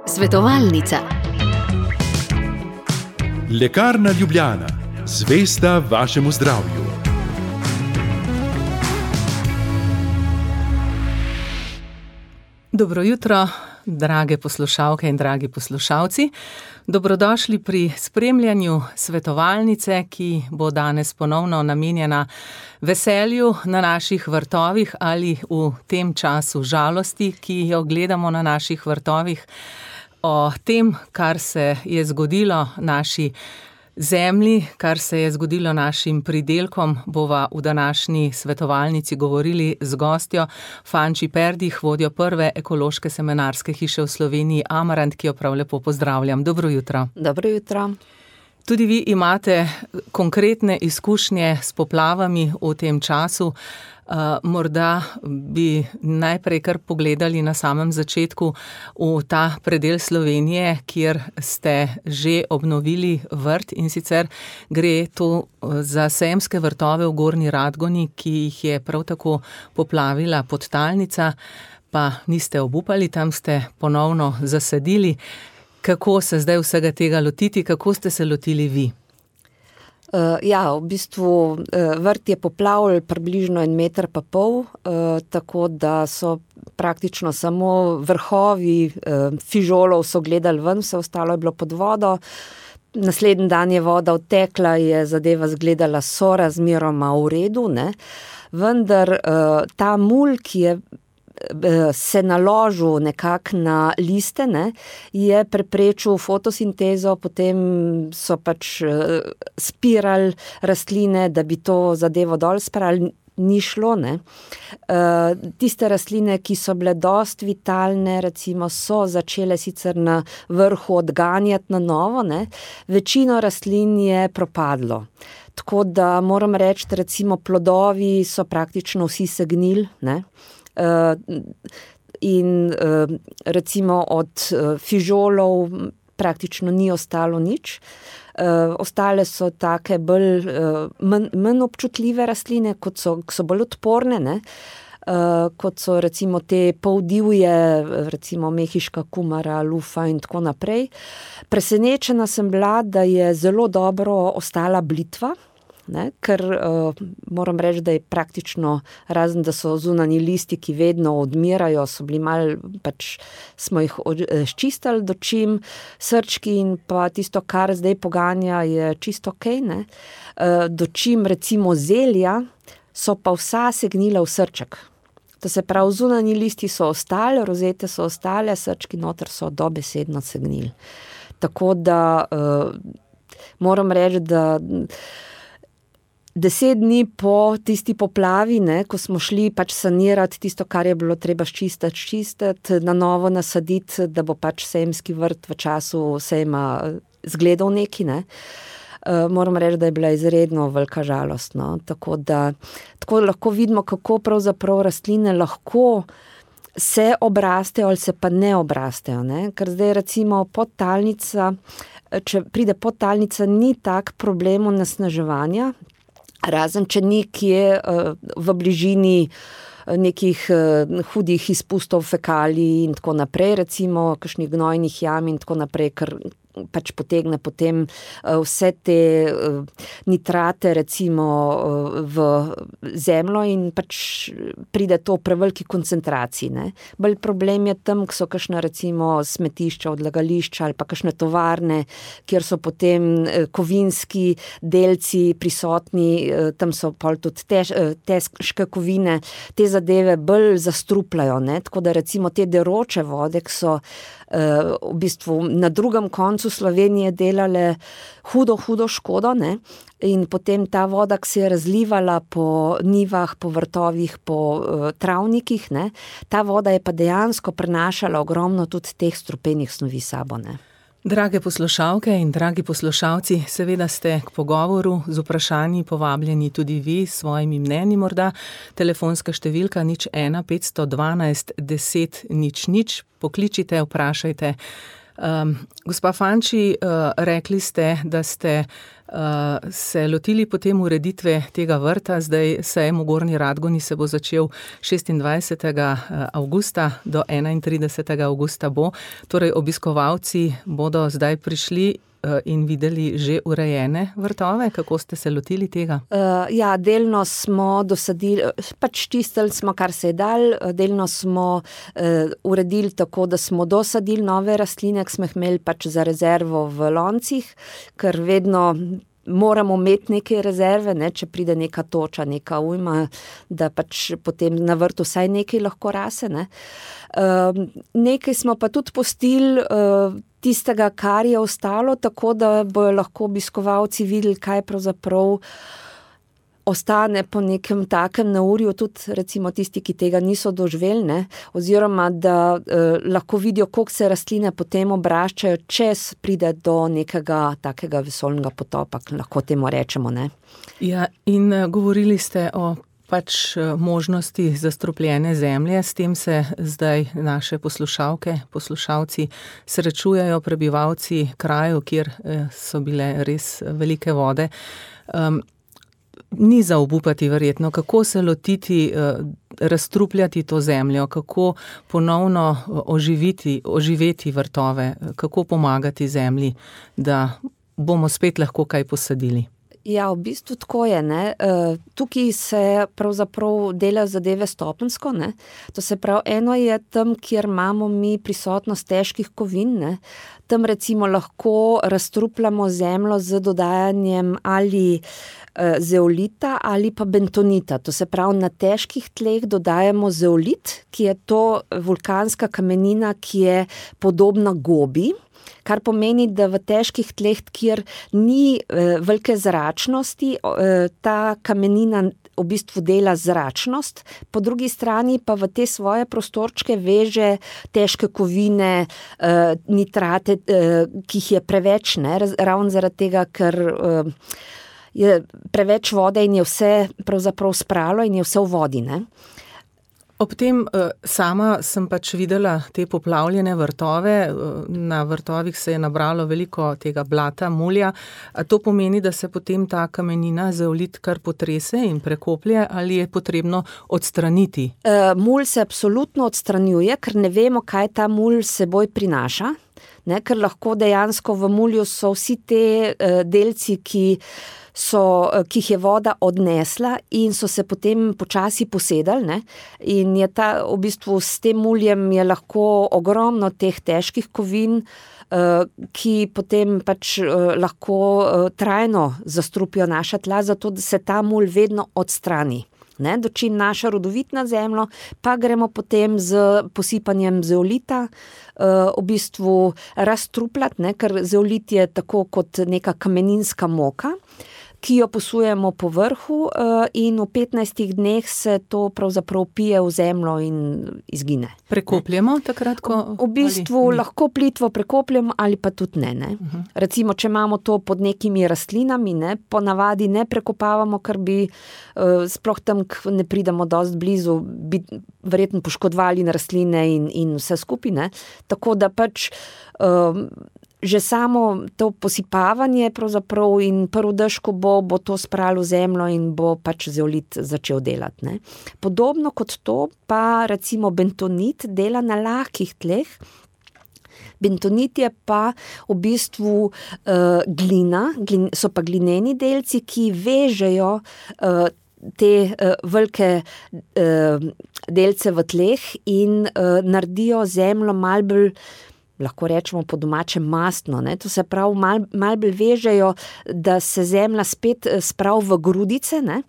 Svetovalnica. Lekarna Ljubljana, zvesta vašemu zdravju. Dobro jutro, drage poslušalke in dragi poslušalci. Dobrodošli pri spremljanju svetovalnice, ki bo danes ponovno namenjena veselju na naših vrtovih ali v tem času žalosti, ki jo gledamo na naših vrtovih. O tem, kar se je zgodilo naši zemlji, kar se je zgodilo našim pridelkom, bova v današnji svetovalnici govorili z gostjo Fanči Perdih, vodjo prve ekološke semenarske hiše v Sloveniji Amarant, ki jo prav lepo pozdravljam. Dobro jutro. Dobro jutro. Tudi vi imate konkretne izkušnje s poplavami v tem času. Morda bi najprej kar pogledali na samem začetku v ta predel Slovenije, kjer ste že obnovili vrt, in sicer gre to za sejemske vrtove v Gornji Radgoni, ki jih je prav tako poplavila podtalnica, pa niste obupali, tam ste ponovno zasadili. Kako se zdaj vsega tega lotiti, kako ste se lotili vi? V bistvu vrt je poplavil približno 1,5 metra, tako da so praktično samo vrhovi fižolov so gledali ven, vse ostalo je bilo pod vodo. Naslednji dan je voda odtekla, je zadeva izgledala sorazmeroma v redu, ne? Vendar ta mulj, ki je se naložil nekako na liste, ne, je preprečil fotosintezo, potem so spirali rastline, da bi to zadevo dol spravili, ni šlo, ne. Tiste rastline, ki so bile dosti vitalne, recimo, so začele sicer na vrhu odganjati na novo, ne. Večino rastlin je propadlo. Tako da moram reči, recimo plodovi so praktično vsi segnili, ne. In recimo od fižolov praktično ni ostalo nič. Ostale so take manj občutljive rastline, kot so bolj odporne, ne? Kot so recimo te poldivje, recimo mehiška kumara, lufa in tako naprej. Presenečena sem bila, da je zelo dobro ostala blitva, ne, ker moram reči, da je praktično, razen da so zunanji listi, ki vedno odmirajo, so bili malo, smo jih ščistili dočim, srčki in pa tisto, kar zdaj poganja, je čisto okej, ne. Dočim recimo zelja so pa vsa segnila v srček. To se pravi, zunanji listi so ostali, rozete so ostale, srčki noter so dobesedno segnili. Tako da moram reči, da 10 dni po tisti poplavi, ne, ko smo šli sanirati tisto, kar je bilo treba čistiti, na novo nasaditi, da bo sejemski vrt v času sejma zgledal neki, ne. Moram reči, da je bila izredno velika žalost, no. Tako lahko vidimo, kako pravzaprav rastline lahko se obrastejo ali se pa ne obrastejo, ne. Ker zdaj recimo podtalnica, če pride podtalnica, ni tak problem onesnaževanja, razen če nekje v bližini nekih hudih izpustov fekalij in tako naprej, recimo kakšnih gnojnih jam in tako naprej, ker potegne potem vse te nitrate recimo v zemljo in pride to v preveliki koncentraciji, ne. Bolj problem je tam, ko so kakšna recimo smetišča, odlagališča ali pa kakšne tovarne, kjer so potem kovinski delci prisotni, tam so pol tudi težke kovine, te zadeve bolj zastrupljajo, ne. Tako da recimo te deroče vode, ki so v bistvu na drugem koncu Slovenije delale hudo škodo, ne, in potem ta voda, ki se je razlivala po njivah, po vrtovih, po travnikih, ne, ta voda je pa dejansko prenašala ogromno tudi teh strupenih snovi s sabo, ne. Drage poslušalke in dragi poslušalci, seveda ste k pogovoru z vprašanji povabljeni tudi vi s svojimi mnenji morda. Telefonska številka 01 512 10 00, pokličite, vprašajte. Gospa Fanči, rekli ste, da ste se lotili potem ureditve tega vrta. Zdaj sejem v Gornji Radgoni se bo začel 26. avgusta do 31. avgusta bo. Torej obiskovalci bodo zdaj prišli in videli že urejene vrtove. Kako ste se lotili tega? Ja, delno smo dosadili, pač čistili smo, kar se je dal, delno smo uredili tako, da smo dosadili nove rastline, ki smo jih imeli pač za rezervo v loncih, ker vedno moramo imeti neke rezerve, ne, če pride neka toča, neka ujma, da pač potem na vrtu vsaj nekaj lahko rase, ne. Nekaj smo pa tudi pustili tistega, kar je ostalo, tako da bojo lahko obiskovalci videli, kaj pravzaprav ostane po nekem takem naurju, tudi recimo tisti, ki tega niso doživeli, ne, oziroma da lahko vidijo, koliko se rastline potem obraščajo, če pride do nekega takega vesoljnega potopa, lahko temu rečemo, ne. Ja, in govorili ste o pač možnosti zastrupljene zemlje, s tem se zdaj naše poslušalke, poslušalci srečujejo, prebivalci krajev, kjer so bile res velike vode. Ni za obupati verjetno, kako se lotiti, razstrupljati to zemljo, kako ponovno oživeti vrtove, kako pomagati zemlji, da bomo spet lahko kaj posadili. Ja, v bistvu tako je, ne. Tukaj se pravzaprav delajo zadeve stopenjsko, ne. To se pravi, eno je tam, kjer imamo mi prisotnost težkih kovin, ne. Tam recimo lahko razstrupljamo zemljo z dodajanjem ali zeolita ali pa bentonita. To se pravi, na težkih tleh dodajamo zeolit, ki je to vulkanska kamenina, ki je podobna gobi, kar pomeni, da v težkih tleh, kjer ni velike zračnosti, ta kamenina v bistvu dela zračnost, po drugi strani pa v te svoje prostorčke veže težke kovine, nitrate, ki jih je preveč, ne, ravno zaradi tega, ker je preveč vode in je vse pravzaprav spralo in je vse v vodi, ne. Ob tem sama sem pač videla te poplavljene vrtove, na vrtovih se je nabralo veliko tega blata, mulja. A to pomeni, da se potem ta kamenina zeolit kar potrese in prekoplje, ali je potrebno odstraniti? Mulj se absolutno odstranjuje, ker ne vemo, kaj ta mulj seboj prinaša, ne, ker lahko dejansko v mulju so vsi te delci, ki jih je voda odnesla in so se potem počasi posedali, ne, in je v bistvu s tem muljem je lahko ogromno teh težkih kovin, ki potem pač lahko trajno zastrupijo naša tla, zato da se ta mulj vedno odstrani. Ne, dočim naša rodovitna zemlja, pa gremo potem z posipanjem zeolita v bistvu razstrupljati, ne, ker zeolit je tako kot neka kameninska moka, ki jo posujemo po vrhu in v 15 dneh se to pravzaprav pije v zemljo in izgine. Prekopljemo takrat, ko... V bistvu lahko plitvo prekopljemo ali pa tudi ne. Recimo, če imamo to pod nekimi rastlinami, ne, ponavadi ne prekopavamo, ker bi sploh tam ne pridemo dosti blizu, bi verjetno poškodovali na rastline in vse skupaj, ne. Tako da pač že samo to posipavanje pravzaprav in prvi dež, ko bo to spralo v zemljo in bo pač zeolit začel delati, ne. Podobno kot to pa recimo bentonit dela na lahkih tleh. Bentonit je pa v bistvu glina, so pa glineni delci, ki vežejo te velike delce v tleh in naredijo zemljo malo bolj, lahko rečemo po domače, mastno, ne. To se pravi, malo bolj vežejo, da se zemlja spet spravi v grudice, ne,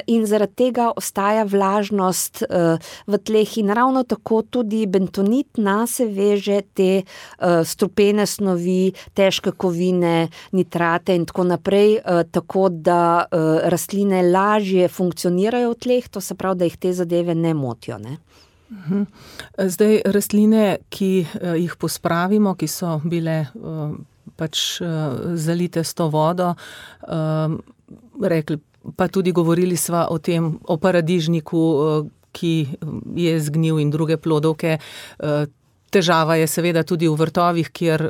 in zaradi tega ostaja vlažnost v tleh in ravno tako tudi bentonit nase veže te strupene snovi, težke kovine, nitrate in tako naprej, tako da rastline lažje funkcionirajo v tleh, to se pravi, da jih te zadeve ne motijo, ne. Zdaj, rastline, ki jih pospravimo, ki so bile pač zalite s to vodo, rekli, pa tudi govorili sva o tem, o paradižniku, ki je zgnil in druge plodovke, Težava je seveda tudi v vrtovih, kjer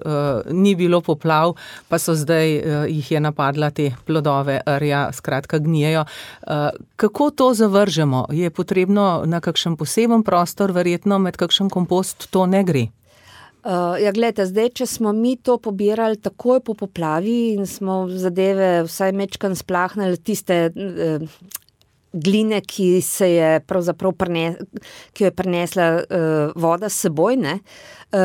ni bilo poplav, pa so zdaj jih je napadla te plodove rja, skratka gnijejo. Kako to zavržemo? Je potrebno na kakšen poseben prostor, verjetno med kakšen kompost to ne gre? Ja, gledajte, zdaj, če smo mi to pobirali takoj po poplavi in smo zadeve vsaj mečkan splahnili, tiste gline, ki se je pravzaprav ki jo je prinesla voda s seboj, ne,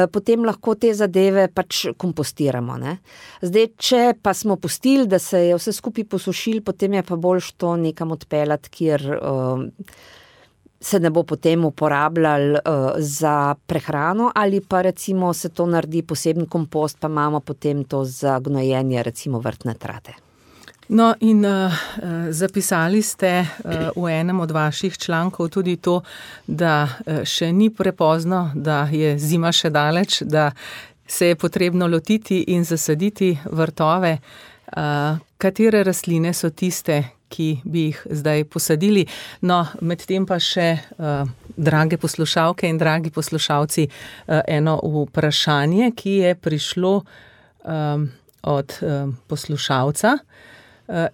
potem lahko te zadeve pač kompostiramo, ne. Zdaj, če pa smo pustili, da se je vse skupaj posušil, potem je pa boljše to nekam odpeljati, kjer se ne bo potem uporabljal za prehrano, ali pa recimo se to naredi poseben kompost, pa imamo potem to za gnojenje recimo vrtne trate. No in zapisali ste v enem od vaših člankov tudi to, da še ni prepozno, da je zima še daleč, da se je potrebno lotiti in zasaditi vrtove. Katere rastline so tiste, ki bi jih zdaj posadili? No, medtem pa še, drage poslušalke in dragi poslušalci, eno vprašanje, ki je prišlo od poslušalca.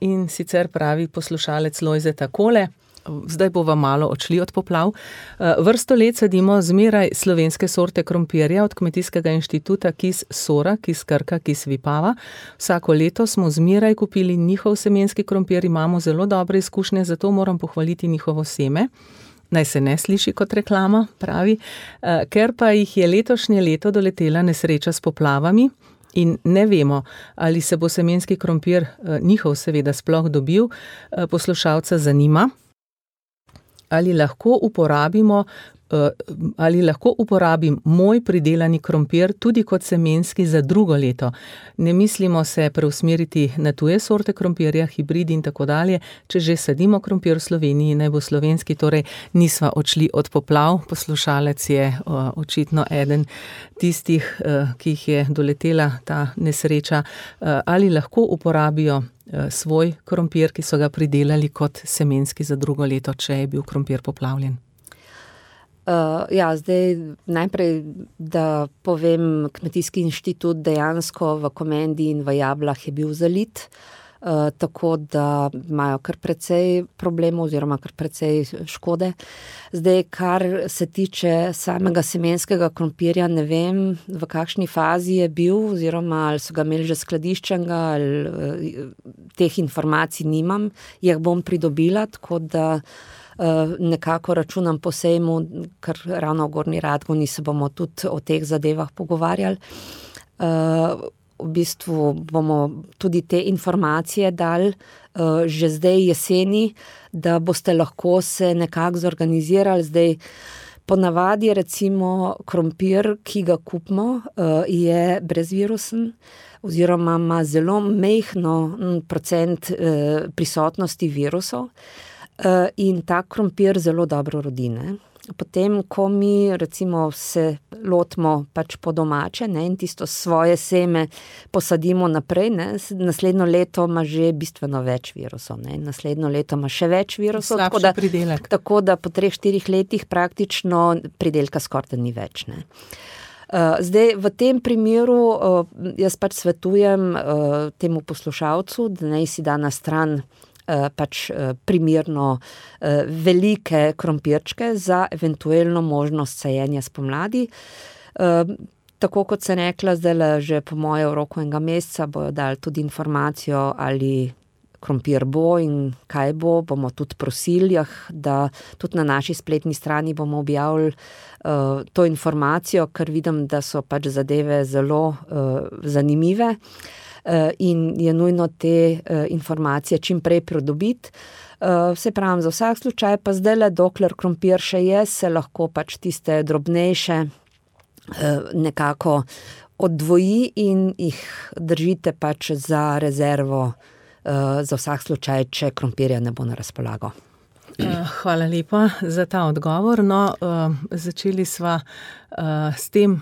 In sicer pravi poslušalec Lojze takole, zdaj bova malo odšli od poplav. Vrsto let sadimo zmeraj slovenske sorte krompirja od Kmetijskega inštituta Kis Sora, Kis Krka, Kis Vipava. Vsako leto smo zmeraj kupili njihov semenski krompir, imamo zelo dobre izkušnje, zato moram pohvaliti njihovo seme. Naj se ne sliši kot reklama, pravi, ker pa jih je letošnje leto doletela nesreča s poplavami, in ne vemo, ali se bo semenski krompir, njihov seveda, sploh dobil, poslušalca zanima, ali lahko uporabim moj pridelani krompir tudi kot semenski za drugo leto. Ne mislimo se preusmeriti na tuje sorte krompirja, hibridi in tako dalje. Če že sadimo krompir v Sloveniji, naj bo slovenski, torej nisva odšli od poplav. Poslušalec je očitno eden tistih, ki jih je doletela ta nesreča. Ali lahko uporabijo svoj krompir, ki so ga pridelali kot semenski za drugo leto, če je bil krompir poplavljen? Zdaj najprej, da povem, Kmetijski inštitut dejansko v Komendi in v Jablah je bil zalit, tako da imajo kar precej problemov oziroma kar precej škode. Zdaj, kar se tiče samega semenskega krompirja, ne vem, v kakšni fazi je bil oziroma ali so ga imeli že skladiščenega, ali teh informacij nimam, jih bom pridobila, tako da nekako računam po sejmu, ker ravno v Gornji Radgoni se bomo tudi o teh zadevah pogovarjali. V bistvu bomo tudi te informacije dali že zdaj jeseni, da boste lahko se nekako zorganizirali. Zdaj, ponavadi recimo krompir, ki ga kupimo, je brezvirusen oziroma ima zelo majhen procent prisotnosti virusov. In ta krompir zelo dobro rodi, ne. Potem, ko mi recimo se lotimo pač po domače, ne, in tisto svoje seme posadimo naprej, ne, naslednjo leto ima že bistveno več virusov, ne, naslednjo leto ima še več virusov, tako da po 3-4 letih praktično pridelka skoraj ni več, ne. Zdaj, v tem primeru jaz pač svetujem temu poslušalcu, da naj si da na stran pač primerno velike krompirčke za eventualno možnost sajenja spomladi. Tako kot sem rekla, zdaj že po moje v roku enega meseca bojo dali tudi informacijo, ali krompir bo in kaj bo, bomo tudi prosili, da tudi na naši spletni strani bomo objavili to informacijo, ker vidim, da so pač zadeve zelo zanimive. In je nujno te informacije čim prej pridobiti. Se pravim, za vsak slučaj pa zdajle, dokler krompir še je, se lahko pač tiste drobnejše nekako oddvoji in jih držite pač za rezervo, za vsak slučaj, če krompirja ne bo na razpolago. Hvala lepa za ta odgovor. No, začeli sva s tem,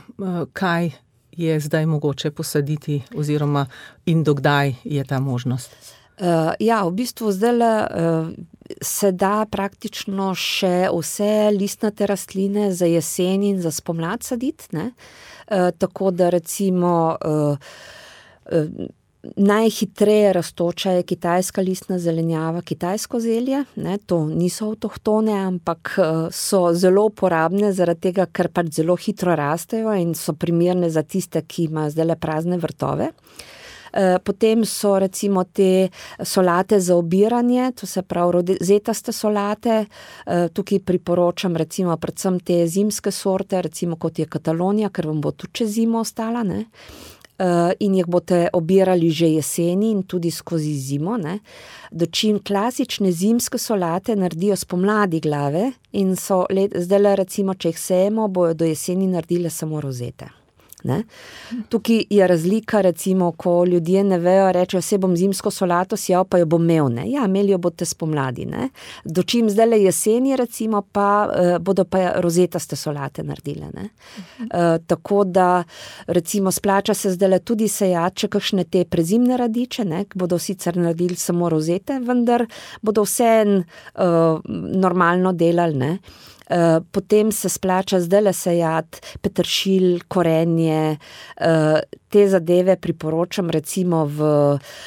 kaj je zdaj mogoče posaditi oziroma in dokdaj je ta možnost? V bistvu zdajle se da praktično še vse listnate rastline za jesen in za spomlad saditi, ne? Tako da recimo najhitreje rastoča je kitajska listna zelenjava, kitajsko zelje, ne? To niso avtohtone, ampak so zelo uporabne zaradi tega, ker pač zelo hitro rastejo in so primerne za tiste, ki imajo zdajle prazne vrtove. Potem so recimo te solate za obiranje, to se pravi rozetaste solate, tukaj priporočam recimo predvsem te zimske sorte, recimo kot je Katalonija, ker vam bo tudi čez zimo ostala, ne? In jih boste obirali že jeseni in tudi skozi zimo, ne? Dočim klasične zimske solate naredijo spomladi glave in so zdajle recimo, če jih sejemo, bojo do jeseni naredile samo rozete. Ne? Tukaj je razlika, recimo, ko ljudje ne vejo, rečejo, se bom zimsko solato sjel, pa jo bom imel, ne? Ja, imeli jo boste spomladi, ne? Dočim zdajle jeseni, recimo, pa bodo pa rozetaste solate naredile, ne? Tako da, recimo, splača se zdajle tudi sejati, če kakšne te prezimne radiče, ne? Bodo sicer naredili samo rozete, vendar bodo vseeno normalno delali, ne? Potem se splača zdajle sejati peteršilj, korenje, te zadeve priporočam recimo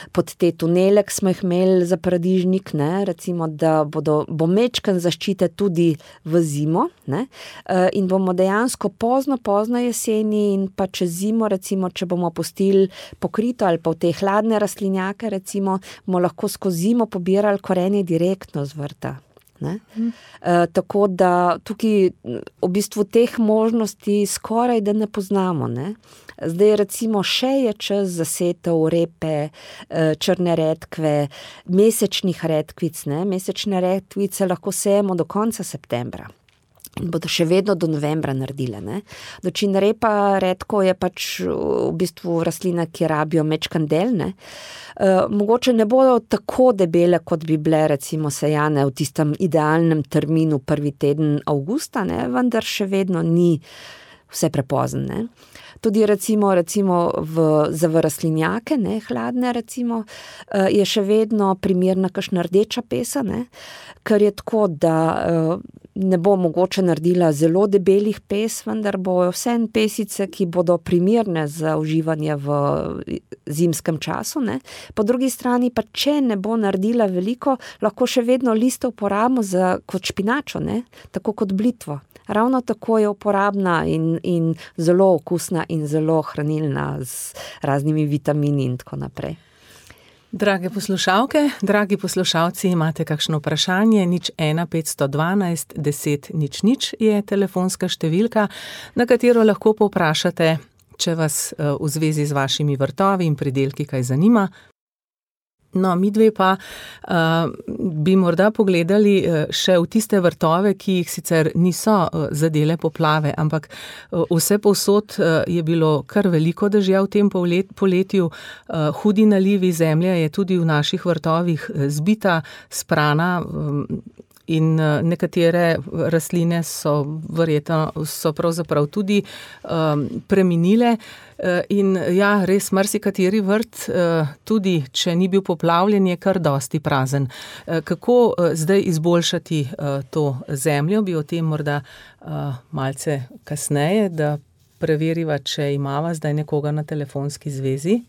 pod te tunele, ki smo jih imeli za paradižnik, ne, recimo, da bo mečken zaščite tudi v zimo, ne, in bomo dejansko pozno jeseni in pa čez zimo, recimo, če bomo pustili pokrito ali pa v te hladne rastlinjake, recimo, bomo lahko skozi zimo pobirali korenje direktno z vrta. Ne? Tako da tukaj v bistvu teh možnosti skoraj da ne poznamo, ne? Zdaj recimo še je čas za setev repe, črne redkve, mesečnih redkvic, ne? Mesečne redkvice lahko sejemo do konca septembra in bodo še vedno do novembra naredile, ne? Dočim repa redko je pač v bistvu rastlina, ki rabijo mečkan del, ne? Mogoče ne bodo tako debele, kot bi bile recimo sejane v tistem idealnem terminu prvi teden avgusta, ne? Vendar še vedno ni vse prepozno, ne? Tudi recimo za rastlinjake, ne, hladne recimo, je še vedno primerna kakšna rdeča pesa, ne, ker je tako, da ne bo mogoče naredila zelo debelih pes, vendar bojo vseeno pesice, ki bodo primerne za uživanje v zimskem času, ne. Po drugi strani pa, če ne bo naredila veliko, lahko še vedno liste uporabimo kot špinačo, ne, tako kot blitvo. Ravno tako je uporabna in zelo okusna in zelo hranilna z raznimi vitamini in tako naprej. Drage poslušalke, dragi poslušalci, imate kakšno vprašanje? 01 512 10 00 je telefonska številka, na katero lahko povprašate, če vas v zvezi z vašimi vrtovi in pridelki kaj zanima. No, midve pa bi morda pogledali še v tiste vrtove, ki jih sicer niso zadele poplave, ampak vse povsod je bilo kar veliko dežja v tem poletju, hudi nalivi, zemlja je tudi v naših vrtovih zbita, sprana in nekatere rastline so pravzaprav tudi preminile. In ja, res marsikateri vrt, tudi če ni bil poplavljen, je kar dosti prazen. Kako zdaj izboljšati to zemljo? Bi o tem morda malce kasneje, da preveriva, če imava zdaj nekoga na telefonski zvezi.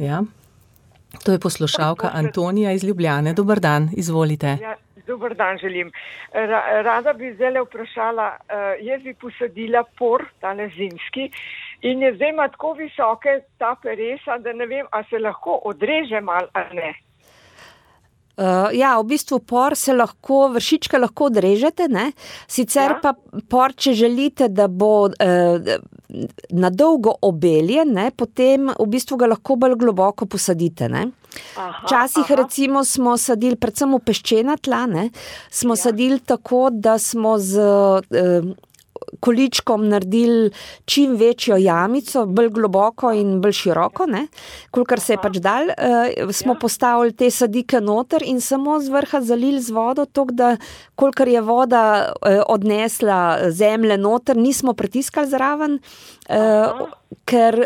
Ja, to je poslušalka Antonija iz Ljubljane. Dober dan, izvolite. Ja. Dober dan želim. Rada bi zdaj vprašala, jaz bi posadila por, tale zimski, in je zdaj ima tako visoke ta peresa, da ne vem, a se lahko odreže mal ali ne. Ja, v bistvu por se lahko, vršičke lahko odrežete, ne? Sicer pa por, če želite, da bo na dolgo obeljen, ne? Potem v bistvu ga lahko bolj globoko posadite, ne? Včasih recimo smo sadili predvsem v peščena tla, ne? Smo sadili tako, da smo z količkom naredili čim večjo jamico, bolj globoko in bolj široko, ne, kolikor se je pač dal, smo postavili te sadike noter in samo z vrha zalili z vodo, toliko da kolikor je voda odnesla zemlje noter, nismo pritiskali zraven, ker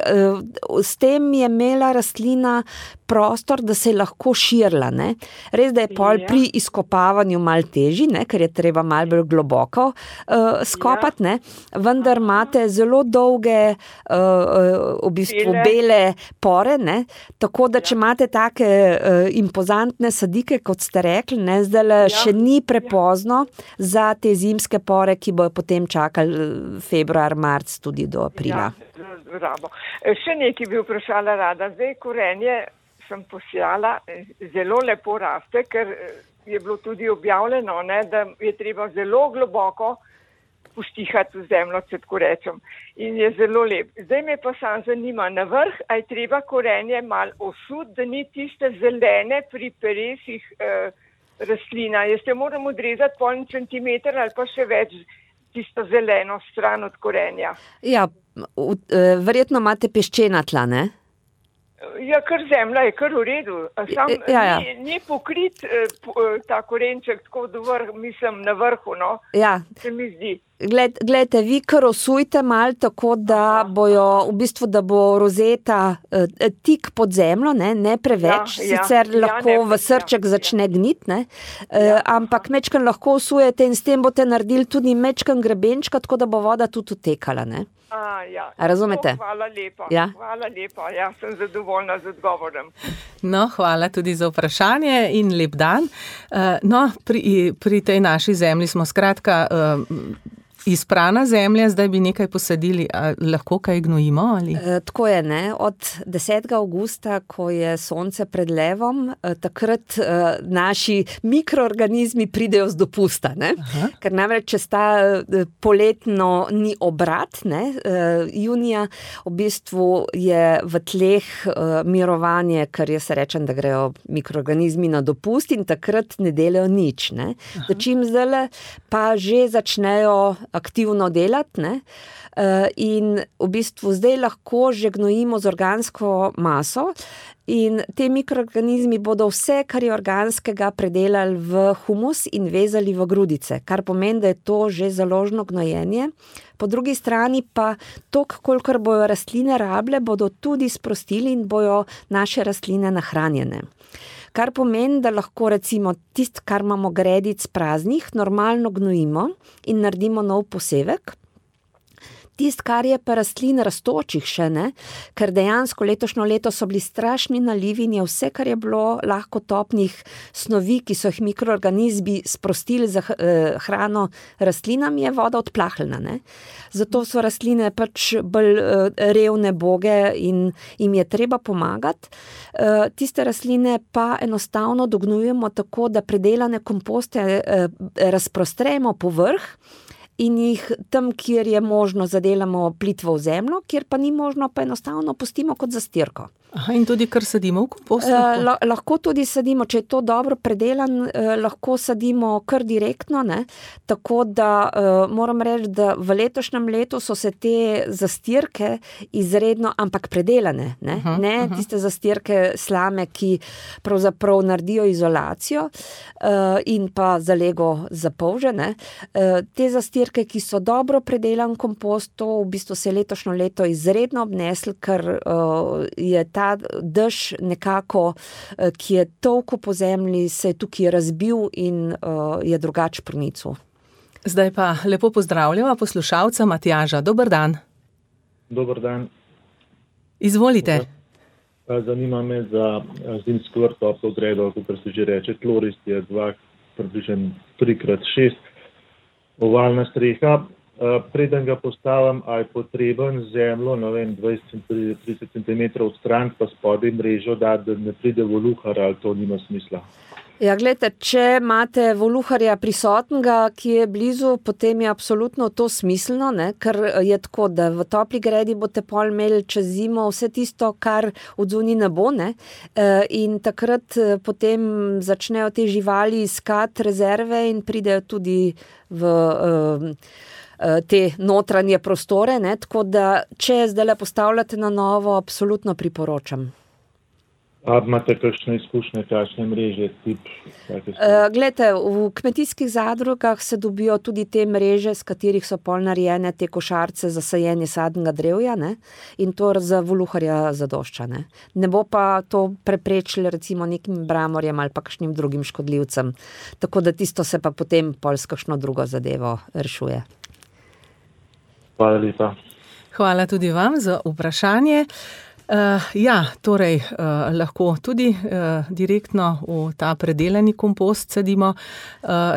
s tem je imela rastlina prostor, da se je lahko širila. Ne? Res, da je pol pri izkopavanju malo težji, ne? Ker je treba malo bolj globoko skopati, ne? Vendar imate zelo dolge v bistvu bele pore, ne? Tako da če imate take impozantne sadike, kot ste rekli, ne? Zdaj še ni prepozno za te zimske pore, ki bojo potem čakali februar, marc tudi do aprila. Še nekaj bi vprašala rada. Zdaj korenje sem posijala, zelo lepo raste, ker je bilo tudi objavljeno, ne, da je treba zelo globoko poštihati v zemljo, če tako rečem. In je zelo lep. Zdaj me pa sam zanima, na vrh, a je treba korenje malo osud, da ni tiste zelene pri peresih rastlina. Jaz te moram odrezati pol centimeter ali pa še več tisto zeleno stran od korenja. Ja, verjetno imate peščena tla, ne? Ja, kar zemlja je kar v redu. Sam ni pokrit ta korenček tako do mislim na vrhu, no? Ja. Se mi zdi. Glejte, vi kar osujte malo tako, da bojo, v bistvu, da bo rozeta tik pod zemljo, ne preveč, sicer lahko v srček začne gnit, ne? Ampak mečken lahko osujete in s tem boste naredili tudi mečken grebenčka, tako da bo voda tudi utekala, ne? Razumete? Hvala lepa. Hvala lepa. Ja, sem zadovoljna z odgovorom. No, hvala tudi za vprašanje in lep dan. No, pri tej naši zemlji smo skratka izprana zemlja, zdaj bi nekaj posadili, lahko kaj gnojimo? Ali? Tako je, ne. Od 10. avgusta, ko je sonce pred levom, takrat naši mikroorganizmi pridejo z dopusta, ne. Ker namreč, če sta poletno ni obrat, ne, junija, v bistvu je v tleh mirovanje, ker jaz rečem, da grejo mikroorganizmi na dopust in takrat ne delajo nič, ne. Začim zdajle pa že začnejo aktivno delati, ne? In v bistvu zdaj lahko že gnojimo z organsko maso in te mikroorganizmi bodo vse, kar je organskega, predelali v humus in vezali v grudice, kar pomeni, da je to že založno gnojenje. Po drugi strani pa toliko, kolikor bojo rastline rable, bodo tudi sprostili in bojo naše rastline nahranjene. Kar pomeni, da lahko recimo tisto, kar imamo gredic praznih, normalno gnojimo in naredimo nov posevek. Tisto, kar je pa rastlin rastočih še, ne, ker dejansko letošnjo leto so bili strašni nalivi in je vse, kar je bilo lahko topnih snovi, ki so jih mikroorganizmi sprostili za hrano rastlinam, je voda odplahlena, ne. Zato so rastline pač bolj revne boge in jim je treba pomagati. Tiste rastline pa enostavno dognujemo tako, da predelane komposte razprostremo po vrh in jih tam, kjer je možno, zadelamo plitvo v zemljo, kjer pa ni možno, pa enostavno pustimo kot zastirko. In tudi kar sadimo v kompost? Lahko tudi sadimo, če je to dobro predelan, lahko sadimo kar direktno, ne? Tako da moram reči, da v letošnjem letu so se te zastirke izredno, ampak predelane, ne? Tiste zastirke slame, ki pravzaprav naredijo izolacijo in pa zalego za polže, ne? Te zastirke, ki so dobro predelan kompost, to v bistvu se je letošnjo leto izredno obnesli, ker je ta dež nekako, ki je tolko po zemlji, se je tukaj razbil in je drugač pronicel. Zdaj pa lepo pozdravljava poslušalca Matjaža. Dober dan. Dober dan. Izvolite. Zanima me za zimsko vrt toplo gredo, kot se že reče, tlorist je približno 3x6, ovalna streha. Preden ga postavim, a je potreben zemljo, 20-30 cm od stran, pa spodaj mrežo dati, da ne pride voluhar, ali to nima smisla? Ja, gledajte, če imate voluharja prisotnega, ki je blizu, potem je absolutno to smiselno, ne? Ker je tako, da v topli gredi boste pol imeli čez zimo vse tisto, kar odzuni ne bo, ne? In takrat potem začnejo te živali iskati rezerve in pridejo tudi v te notranje prostore, ne? Tako da, če zdaj postavljate na novo, absolutno priporočam. A imate kakšne izkušnje, kakšne mreže, tip? Glejte, v kmetijskih zadrugah se dobijo tudi te mreže, z katerih so pol narejene te košarce za sajenje sadnega drevja, ne? In to za voluharja zadošča. Ne bo pa to preprečilo recimo nekim bramorjem ali pa kakšnim drugim škodljivcem. Tako da tisto se pa potem pol s kakšno drugo zadevo rešuje. Hvala lepa. Hvala tudi vam za vprašanje. Torej, lahko tudi direktno v ta predelani kompost sadimo.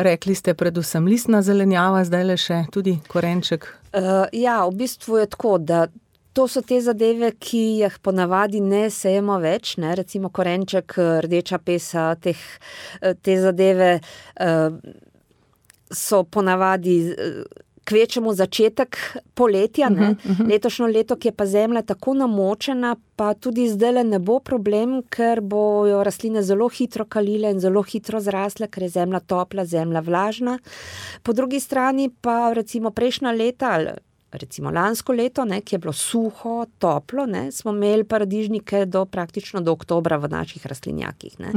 Rekli ste predvsem listna zelenjava, zdaj le še tudi korenček. V bistvu je tako, da to so te zadeve, ki jih ponavadi ne sejemo več, ne? Recimo korenček, rdeča pesa, te zadeve so ponavadi kvečemo začetek poletja, ne? Letošnjo leto, ki je pa zemlja tako namočena, pa tudi zdajle ne bo problem, ker bojo rastline zelo hitro kalile in zelo hitro zrasle, ker je zemlja topla, zemlja vlažna. Po drugi strani pa recimo prejšnja leta, recimo lansko leto, ne, ki je bilo suho, toplo, ne, smo imeli paradižnike praktično do oktobra v naših rastlinjakih. Ne.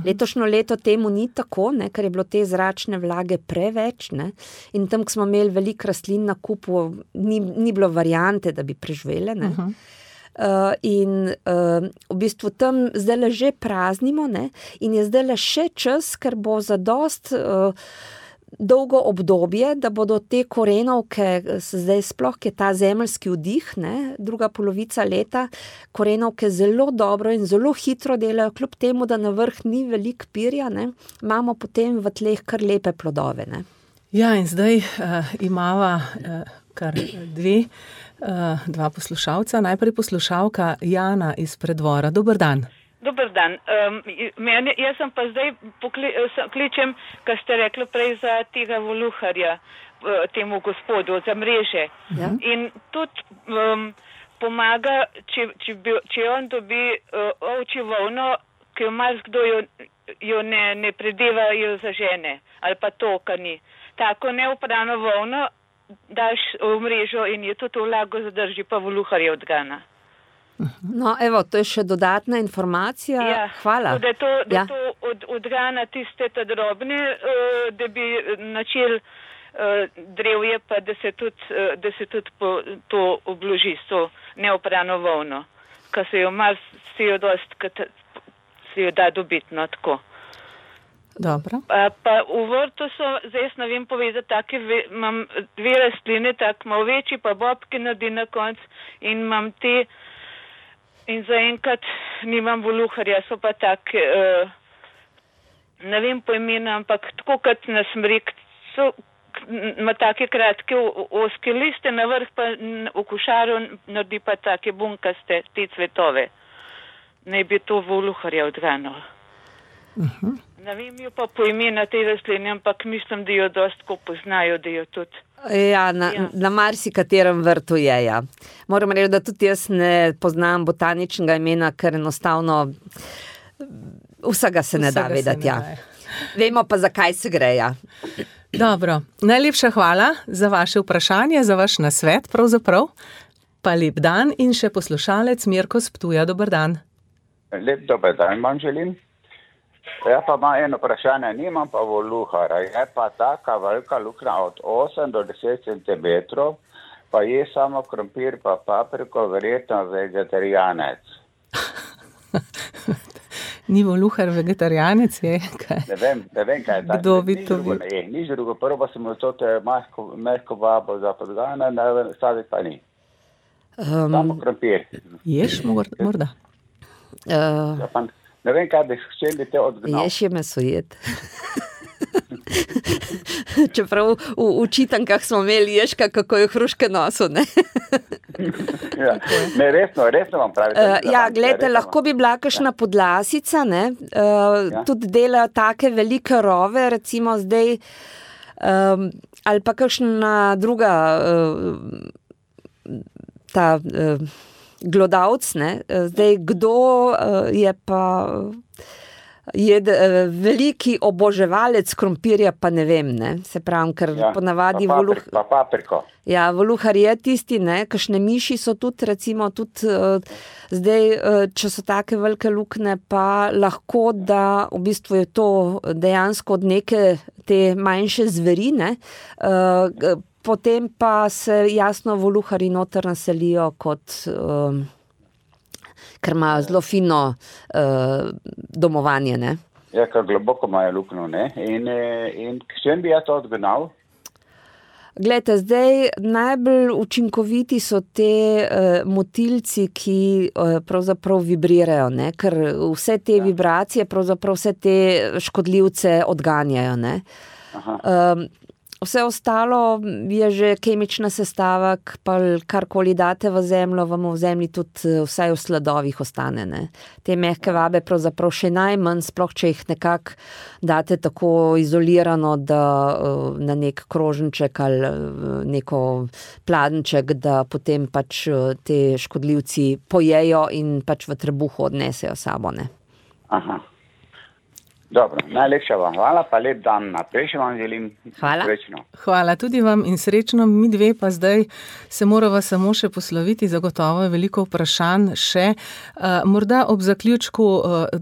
Letošnjo leto temu ni tako, ne, ker je bilo te zračne vlage preveč, ne, in tam, ko smo imeli veliko rastlin na kupu, ni bilo variante, da bi preživele. Ne. V bistvu tam zdajle že praznimo, ne, in je zdajle še čas, ker bo zadost dolgo obdobje, da bodo te korenovke, zdaj sploh, ki je ta zemeljski vdih, ne, druga polovica leta, korenovke zelo dobro in zelo hitro delajo, kljub temu, da na vrh ni veliko pirja, ne, imamo potem v tleh kar lepe plodove. Ne. Ja, in zdaj imava kar dva poslušalca. Najprej poslušalka Jana iz Preddvora. Dober dan. Dober dan. Jaz sem pa zdaj kličem, kar ste rekli prej za tega voluharja, temu gospodu, za mreže. Ja. In tudi pomaga, če on dobi ovčjo volno, ki jo marsikdo jo ne predevajo za žene, ali pa to, kar ni. Tako neupravno volno daš v mrežo in je tudi vlago zadrži, pa voluharje odgana. No, evo, to je še dodatna informacija. Ja, hvala. Da to odgana tiste ta drobne, da bi načel drevje, pa da se tudi to obloži s to neoprano volno. Ka se jo da dobiti, no, tako. Dobro. Pa v vrtu so, zdaj ne vem povedati, imam dve rastline, tako malo večji, pa bobke naredi na konc in imam te. In zaenkrat nimam voluharja, so pa tak, ne vem po imena, ampak tako kot na smrek, ima take kratke oske liste, na vrh pa v košaru naredi pa take bunkaste, te cvetove. Naj bi to voluharja odganilo. Ne vem jo pa po imena te rastline, ampak mislim, da jo dosti ko poznajo, da jo tudi. Ja, na marsikaterem vrtu je, ja. Moram reči, da tudi jaz ne poznam botaničnega imena, ker enostavno vsega se ne da vedeti, ja. Vemo pa, zakaj se gre, ja. Dobro, najlepša hvala za vaše vprašanje, za vaš nasvet pravzaprav. Pa lep dan in še poslušalec Mirko s Ptuja, dober dan. Lep dober dan vam želim. Ja pa imam eno vprašanje, nimam pa voluhara, je pa taka velika luknja od 8 do 10 cm, pa je samo krompir pa papriko, verjetno vegetarijanec. Ni voluhar vegetarijanec, je kaj? Ne vem kaj je tako. Kdo bi to bil? Nič drugo, prvo pa sem to mehko babo za podgane, staviti pa ni. Samo krompir. Ješ morda? Ne vem, kaj bi hteli te odgnal. Ješ je mesojed. Čeprav v čitankah smo imeli ješka, kako je hruške nosu, ne? Ja, ne, resno vam pravite. Ja, gledajte, lahko bi bila kakšna podlasica, ne? Tudi delajo take velike rove, recimo zdaj, ali pa kakšna druga ta glodavc, ne? Zdaj, kdo je pa veliki oboževalec krompirja, pa ne vem, ne. Se pravim, ker ponavadi pa papriko. Ja, voluhar je tisti, ne, kakšne miši so tudi, recimo, zdaj, če so take velike luknje, pa lahko, da v bistvu je to dejansko od neke te manjše zveri, ne. Potem pa se jasno voluhari noter naselijo kot ker ima zelo fino domovanje, ne. Ja, ker globoko imajo luknjo, ne. In s čem bi jaz to odgnal? Glejte, zdaj najbolj učinkoviti so te motilci, ki pravzaprav vibrirajo, ne, ker vse te vibracije, pravzaprav vse te škodljivce odganjajo, ne. Vse ostalo je že kemična sestava, pa karkoli date v zemljo, vam v zemlji tudi vsaj v sledovih ostane, ne. Te mehke vabe pravzaprav še najmanj, sploh če jih nekako date tako izolirano, da na nek krožniček ali neko pladenček, da potem pač te škodljivci pojejo in pač v trebuhu odnesejo sabo, ne. Aha. Dobro, najlepša vam hvala, pa lep dan naprej še vam želim. Hvala. Srečno. Hvala tudi vam in srečno. Mi dve pa zdaj se morava samo še posloviti, zagotovo je veliko vprašanj še. Morda ob zaključku,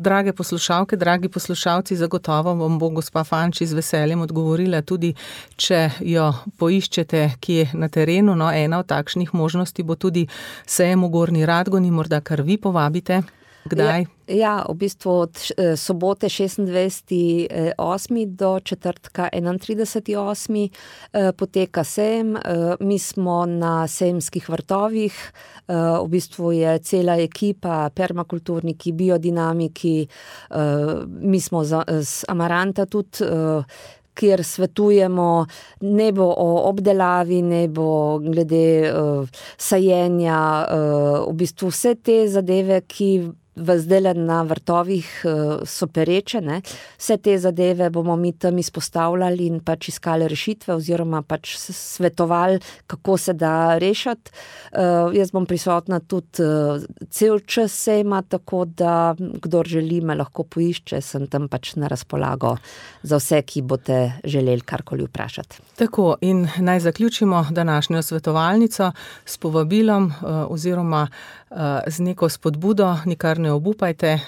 drage poslušalke, dragi poslušalci, zagotovo vam bo gospa Fanči z veseljem odgovorila tudi, če jo poiščete kje na terenu. No, ena od takšnih možnosti bo tudi sejem v Gornji Radgoni, morda kar vi povabite. Kdaj? Ja, v bistvu od sobote 26.8. do četrtka 31.8. poteka sejem. Mi smo na sejemskih vrtovih, v bistvu je cela ekipa, permakulturniki, biodinamiki, mi smo z Amaranta tudi, kjer svetujemo nebo o obdelavi, nebo glede sajenja, v bistvu vse te zadeve, ki zdajle na vrtovih so pereče, ne. Vse te zadeve bomo mi tam izpostavljali in pač iskali rešitve oziroma pač svetovali, kako se da rešiti. Jaz bom prisotna tudi cel čas sejma, tako da kdor želi, me lahko poišče, sem tam pač na razpolago za vse, ki boste želeli karkoli vprašati. Tako, in naj zaključimo današnjo svetovalnico s povabilom oziroma z neko spodbudo, nikar ne obupajte,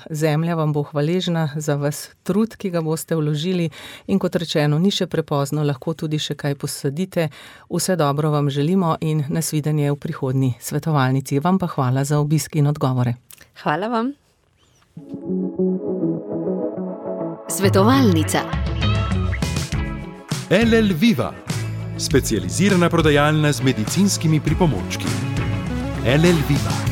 zemlja vam bo hvaležna za vas trud, ki ga boste vložili in kot rečeno, ni še prepozno, lahko tudi še kaj posadite. Vse dobro vam želimo in nasvidenje v prihodnji svetovalnici. Vam pa hvala za obisk in odgovore. Hvala vam. Svetovalnica. LL Viva, specializirana prodajalna z medicinskimi pripomočki. LL Viva.